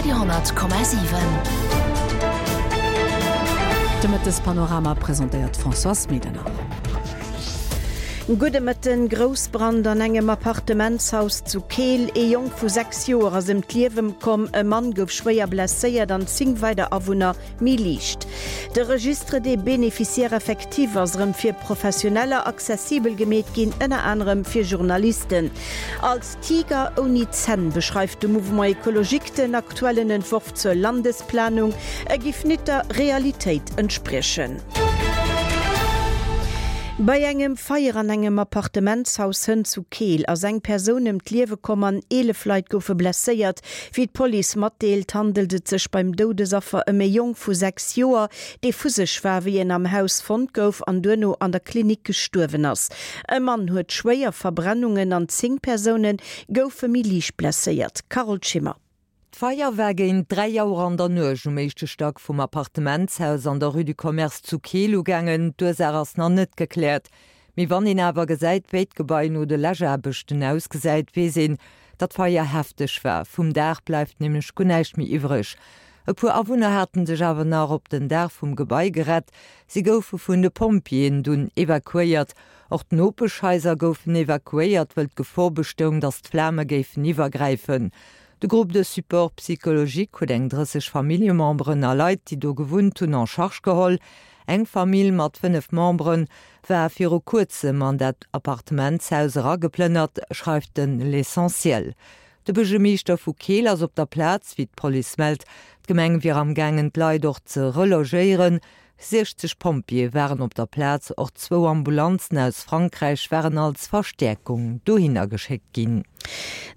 Radio 10,7. De Mëttespanorama presentéiert d'Françoise Medernach. Gudde Mëtten. Groussbrand an engem Appartementshaus zu Keel. Ee Jong vu 6 Joer ass ëm d'Liewe komm, e Mann gouf schwéier blesséiert an 10 weider Awunner méi liicht. De Registre des bénéficiaires effectifs ass erëm fir Professioneller accessibel gemeet ginn, ënner anerem fir Journalisten. Als Tiger ouni Zänn beschreift de Mouvement Ecologique den aktuellen Entworf zur Landesplanung. E giff nit der Realitéit entspriechen. Bei engem Feier an engem Appartementshaus hënt zu Keel ass eng Persoun ëm d'Liewe komm an 11 Leit goufe blesséiert. Wéi d'Police matdeelt, handelt et sech beim Doudesaffer ëm e Jong vu 6 Joer, dee vu sech war, wéi en am Haus fonnt gouf an duerno an der Klinik gestuerwen ass. E Mann huet schwéier Verbrennungen an 10 Persoune goufe méi liicht blesséiert. Carole Schimmer. D'Feier war géint 3 Auer an der Nuecht um éischte Stack vum Appartementshaus an der Rue du Commerce zu Keel ugaangen. D'Ursaach ass nach net gekläert. Mee wann een awer gesäit, wéi d'Gebai no de Läschaarbechten ausgesäit, weess een, datt d'Feier hefteg war. Vum Daach bleift nämlech guer näischt méi iwwreg. E puer Awunner haten sech awer nach op den Daach vum Gebai gerett. Si goufe vun de Pompjeeën dunn evakuéiert. Och d'Nopeschhaiser goufen evakuéiert, wëll d'Gefor bestoung, datt d'Flame géifen iwwergräifen. De Groupe de support psychologique huet eng 30 Familljememberen a Leit, déi do gewunnt hunn, en charge geholl. Eng Famill mat 5 Membere war viru kuerzem an dat Appartementshaus erageplënnert, schreift den L'Essentiel. De Buergermeeschter vu Keel ass op der Plaz, wéi d'Police mellt. D'Gemeng wier am gaangen d'Leit och ze relogéieren. 60 Pompjeeë waren op der Plaz, och zwou Ambulanzen aus Frankräich waren als Verstäerkung dohinner geschéckt ginn.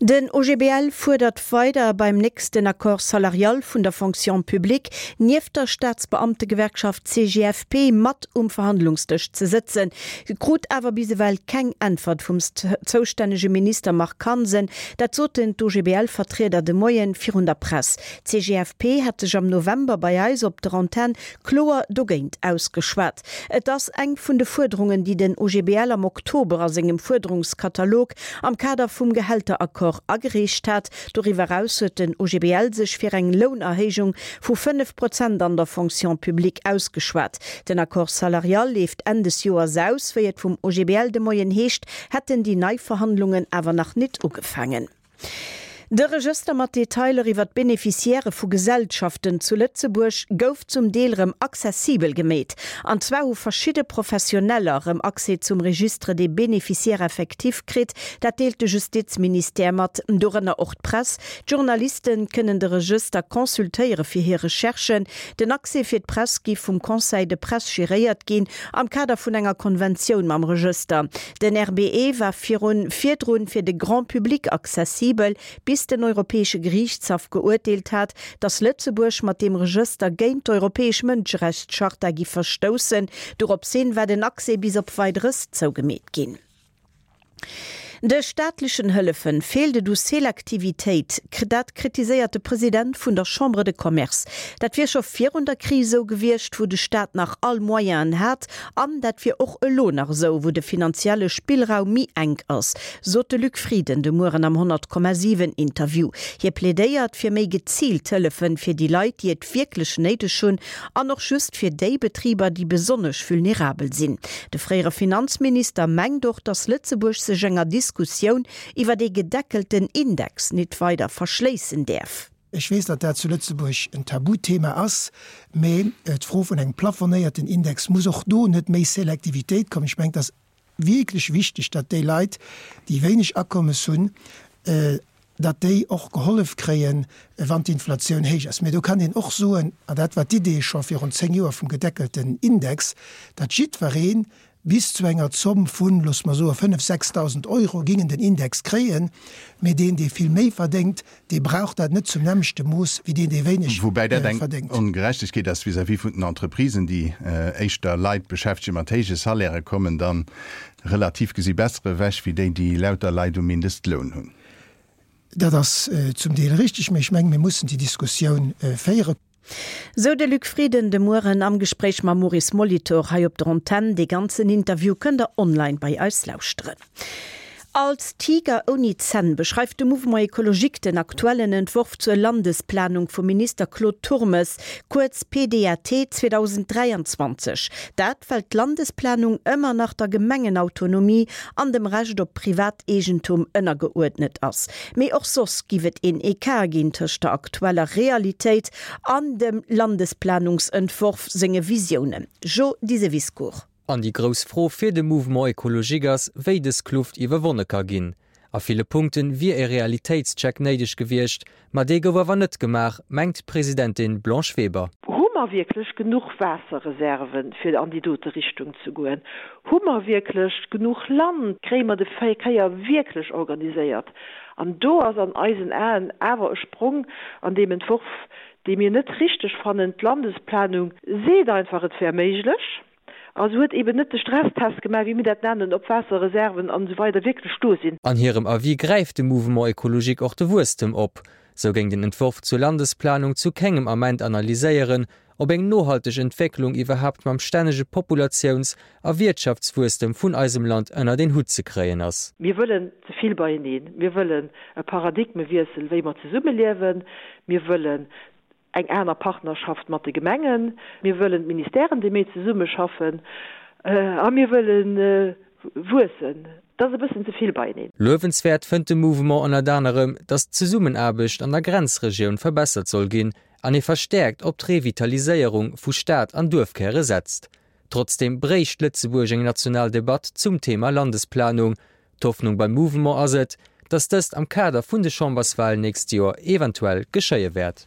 Den OGBL fuerdert weider, beim nächsten Accord salarial vun der Fonction publique nieft der Staatsbeamtegewerkschaft CGFP mat um Verhandlungsdësch ze sëtzen, krut awer bis ewell keng Äntwert vum zoustännege Minister Marc Hansen. Dat soten d'OGBL-Vertrieder de Moien virun der Press. D'CGFP hat sech am November bei eis op der Antenn kloer dogéint ausgeschwat. Et ass eng vun de Fuerderungen, déi den OGBL am Oktober a sengem Fuerderungskatalog am Kader vum Gehälteraccord agereecht hat. Doriwwer eraus huet den OGBL sech fir eng Lounerhéijung vu 5 Prozent an der Fonction publique ausgeschwat. Den Accord salarial leeft Enn des Joers aus. Wéi et vum OGBL de Moien heescht, hätten déi nei Verhandlungen awer nach nit ugefaangen. De Regëster mat Detailer iwwer d'Beneficiairë vu Gesellschaften zu Lëtzebuerg gouf zum Deel rëm accessibel gemeet. An zwar hu verschidde Professioneller rëm Accès zum Registre des bénéficiaires effectifs kritt. Dat deelt de Justizministère mat, dorënner och d'Press. D'Journaliste kënnen de Regëster consultéiere fir hir Recherchen. Den Accès fir d'Press gi vum Conseil de Presse geréiert ginn am Kader vun enger Konventioun mam Regëster. Den RBE war virun virdrun fir de Grand public accessibel, bis den Europäesche Geriichtshaff geuerteelt hat, datt Lëtzebuerg mat deem Regëster géint d'Europäesch Mënscherechtscharta gi verstoussen. Doropshin war den Accès bis op Weideres zougemeet ginn. De staatlechen Hëllefen feelt et u Selektivitéit. Dat kritiséiert de President vun der Chambre de Commerce. Dat wier scho virun der Kris esou gewiescht, wou de Staat nach all Moyenen hat. An dat wier och elo nach esou, wou de finanzielle Spillraum méi enk ass, sot de Luc Frieden de Mueren am 100,7 Interview. Hie plädéiert fir méi geziilt Hëllefen fir déi Leit, déi et wierklech néideg hunn, an och just fir déi Betriber, déi besonnesch vulnerabel sinn. De fréiere Finanzminister mengt och, datt Lëtzebuerg sech enger Diskussioun iwwer ee gedeckelten Index nit weider verschléissen däerf. Ech weess, datt dat zu Lëtzebuerg en Tabuthema ass, mä d'Fro vun engem plafonnéierten Index muss och do net méi Selektivitéit kommen. Ech mengen, et ass wierklech wichteg, datt déi Leit, déi wéineg Akommes hunn, datt déi och gehollef kréien, wann d'Inflatioun héich ass. Mä do kann een och soen, an dat war d'Idee scho virun zéng Joer vum gedeckelten Index, datt jiddweree Bis zu enger Zomm vun, loosse mer soen, 5, 6.000 Euro gingen den Index kréien, mee deen, dee vill méi verdéngt, dee brauch dat net zum nämmlechte Mooss wéi deen, dee wéineg Woubäi dat eng verdéngt. Ongerechtegkeet ass vis-à-vis vun den Entreprisen, déi éischter Leit beschäftege mat héije Salairë kommen dann relativ gesi besser ewech wéi déi, déi lauter Leit um Mindestloun hunn. Dat ass zum Deel richtig, mee ech mengen, mir mussen déi Diskussioun féieren. Sou de Luc Frieden de Mueren am Gespréich mam Maurice Molitor hei op der Antenn. Dee ganzen Interview kënnt der online bei eis lauschteren. Als Tiger ouni Zänn beschreift de Mouvement Ecologique den aktuellen Entworf zur Landesplanung vum Minister Claude Turmes, kuerz PDAT 2023. Dat well d'Landesplanung ëmmer nach der Gemengenautonomie an dem Recht op Privateegentum ënnergeuerdnet ass. Mee och soss giff et een Ecart ginn tëscht der aktueller Realitéit an dem Landesplanungsentworf senge Visiounen. Jo Diseviscourt. An déi grouss Fro fir de Mouvement Ecologique ass, wéi dës Kluft iwwerwonne ka ginn. A ville Punkte wier e Realitéitscheck néideg gewiescht, ma dee gouf awer net gemaach, mengt d'Presidentin Blanche Weber. Hu mer wierklech genuch Waasserreserven, fir an déi dote Richtung ze goen? Hu mer wierklech genuch Land? Kréie mer de Verkéier wierklech organiséiert? An do ass an eisen Aen awer e Sprong an deem Entworf, dee mir net richteg fannen. D'Landesplanung seet einfach, et wär méiglech, a se huet eeben net de Stresstest gemaach, wéi mir dat nennen, ob Waasserreserven an esou weider wierklech do sinn. An hirem Avis gräift de Mouvement Ecologique och de Wuesstem op. Sou géing den Entworf zur Landesplanung zu kengem Ament analyséieren, ob eng nohalteg Entwécklung iwwerhaapt mam stännege Populatiouns a Wiertschaftswuesstem vun eisem Land ënnert een Hutt ze kréien ass. Mir wëllen ze vill beieneen. Mir wëllen e Paradigmewiessel, wéi mer zesummeliewen. Mir wëllen eng aner Partnerschaft mat de Gemengen. Mir wëllen d'Ministèren, déi méi zesummeschaffen. A mir wëlle wuessen. Dat ass e bëssen ze vill beieneen. Luewenswäert fënnt de Mouvement ënnert anerem, datt d'Zesummenaarbecht an der Grenzregioun verbessert soll ginn an ee verstäerkt op d'Revitaliséierung vu Stad an Duerfkäre setzt. Trotzdeem bréicht Lëtzebuerg eng national Debatt zum Thema Landesplanung. D'Hoffnung beim Mouvement ass et, datt dëst am Kader vun de Chamberswalen nächst Joer eventuell geschéie wäert.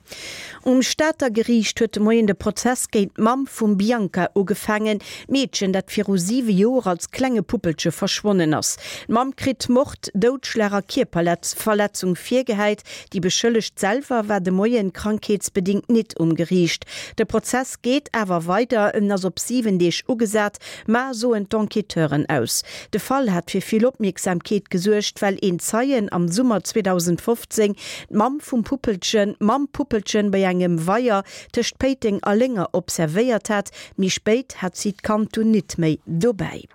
Um Stater Geriicht huet de Moien de Prozess géint d'Mamm vum Bianca ugefaangen, d'Meedchen, dat viru siwe Joer als klenge Puppelche verschwonnen ass. D'Mamm kritt Mord, Doudschlag a Kierperverletzung virgehäit. Déi Beschëllegt selwer war de Moien krankheetsbedingt nit um Geriicht. De Prozess geet awer weider, en ass op 7 Deeg ugesat, ma soen d'Enquêteuren aus. De Fall hat fir vill Opmierksamkeet gesuergt, well een Zeien am Summer 2015 d'Mamm vum Puppelchen mam Puppelchen bei engem Weier tëscht Péiteng a Lénger observéiert hat. Méi spéit hat si d'Kand dunn nit méi dobäi.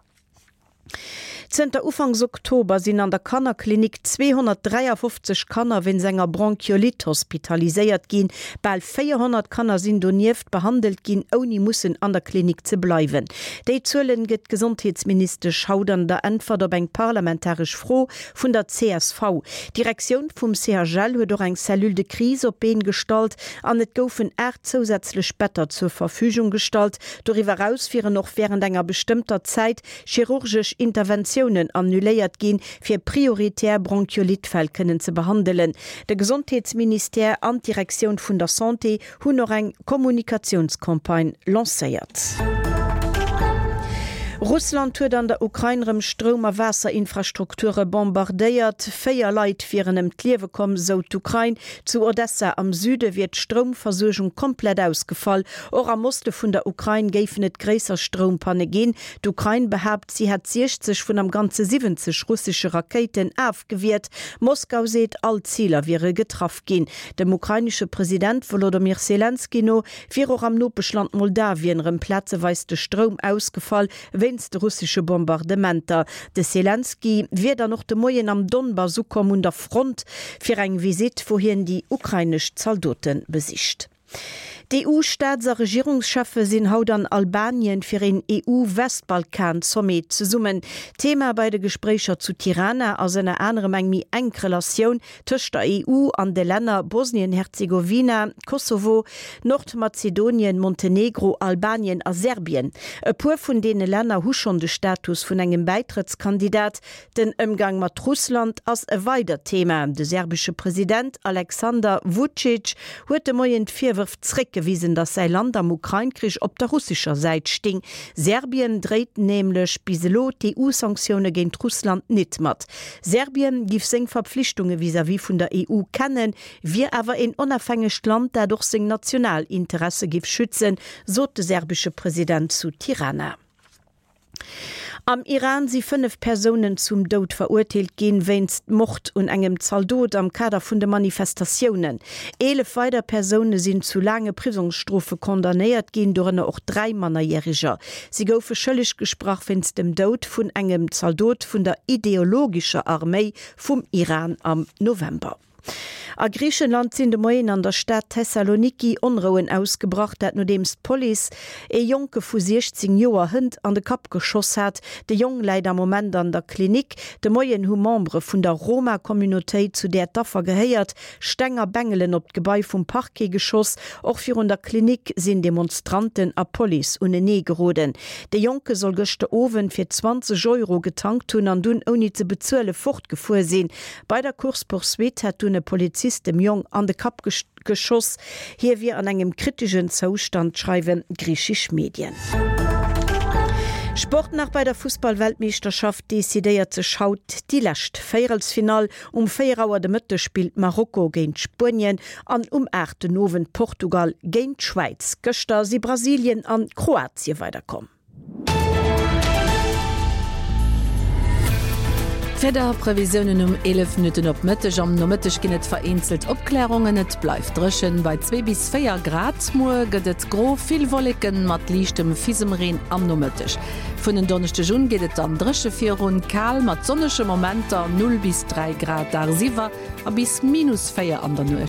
Zënter Ufanks Oktober sinn an der Kannerklinik 253 Kanner wéinst enger Bronchiolite hospitaliséiert ginn. Bal 400 Kanner sinn donieft behandelt ginn, ouni mussen an der Klinik ze bleiwen. Déi Zuelen gëtt d'Gesondheetsministesch haut an der Äntwert op eng parlamentaresch Fro vun der csv. D'Direktioun vum CHL huet och eng Cellule de crise op d'Been gestallt an et goufen 8 zousätzlech Better zur Verfügung gestallt. Doriwwer eraus wieren och wärend enger bestëmmter Zäit chirurgesch Interventiounen annuléiert ginn, fir prioritär Bronchiolite-Fäll kënnen ze behandelen. De Gesondheetsministère an d'Direktioun vun der Santé hunn och eng Kommunikatiounscampagne lancéiert. Russland huet an der Ukrain rëm Stroum a Waasserinfrastrukture bombardéiert. 4 Leit wieren ëm d'Liewe komm, sou d'Ukrain. Zu Odessa am Süde wier d'Stroumversuergung komplett ausgefall. Och am Oste vun der Ukrain géifen et gréisser Stroumpanne ginn. D'Ukrain behaapt, si hätt 60 vun am Ganze 70 russesche Rakéiten afgewiert. Moskau seet, all Ziler wiere getraff ginn. Dem ukrainesche President Wolodomyr Selenskyj no wier och am Nopeschland Moldawien erëm plazeweis de Stroum ausgefall wéinst de russesche Bombardementer. De Selenskyj wier dann och de Moien am Donbass ukomm un der Front fir eng Visitt, wou hien déi ukrainesch Zaldote besicht. D'EU-Staats a Regierungscheffe sinn haut an Albanien fir een EU-Westbalkan-Sommet zesummen. Thema bei de Gespréicher zu Tirana ass ënner anerem eng méi enk Relatioun tëscht der EU an de Länner Bosnien-Herzegowina, Kosovo, Nordmazedonien, Montenegro, Albanien a Serbien. E puer vun deene Länner hu schonn de Status vun engem Bäitrëttskandidat. Den Ëmgang mat Russland ass e weidert Thema. De serbesche President Alexander Vucic huet de Moien d'Virwërf zréckgewisen, datt säi Land am Ukrain-Krich op der russescher Säit sting. Serbien dréit nämlech bis elo d'EU-Sanktioune géint Russland nit mat. Serbien giff seng Verpflichtunge vis-à-vis vun der EU kennen, wier awer een onafhängegt Land, dat och seng national Interesse giff schützen, sot de serbesche President zu Tirana. Am Iran si 5 Persounen zum Doud verurteelt ginn, wéinst Mord un engem Zaldot am Kader vun de Manifestatiounen. 11 weider Persoune sinn zu laange Prisongsstrofe condamnéiert ginn, dorënner och 3 Mannerjäreger. Si goufe schëlleg gesprach wéinst dem Doud vun engem Zaldot vun der ideologescher Arméi vum Iran am November. A Griichenland sinn de Moien an der Stad Thessaloniki Onrouen ausgebrach, dat nodeems d'Police ee Jonke vu 16 Joer hënt an de Kapp geschoss hat. De Jong läit am Moment an der Klinik. De Moien hu Membere vun der Roma-Communautéit, zu där d'Affer gehéiert, Steng a Bengelen op d'Gebai vum Parquet geschoss. Och virun der Klinik sinn Demonstranten a Police unenee geroden. De Jonke soll gëschter Owend fir 20 Euro getankt hunn an dunn ouni ze bezuele fortgefuer sinn. Bei der Course-poursuite hätt dunn e Polizist dem Jong an de Kapp geschoss. Hie wier an engem kritischen Zoustand, schreiwen griichesch Medien. Sport nach Bei der Fussball-Weltmeeschterschaft decidéiert sech haut déi lescht Véierelsfinall. Um 4 Auer de Mëtteg spillt Marokko géint Spuenien an um 8 den Owend Portugal géint d'Schwäiz. Gëschter si Brasilien an Kroatie weiderkomm. D'Wiederprevisiounen um 11 Minutten op Mëtteg. Am Nomëtteg ginn et vereenzelt Opklärungen, et bleift dréchen bei 2 bis 4 Grad. Muer gëtt et gro, vill Wolleken mat liichtem Fisemreen am Nomëtteg. Vun en Donneschdeg un geet et dann dréche virun, kal mat sonnege Momenter, 0 bis 3 Grad dagsiwwer a bis minus 4 an der Nuecht.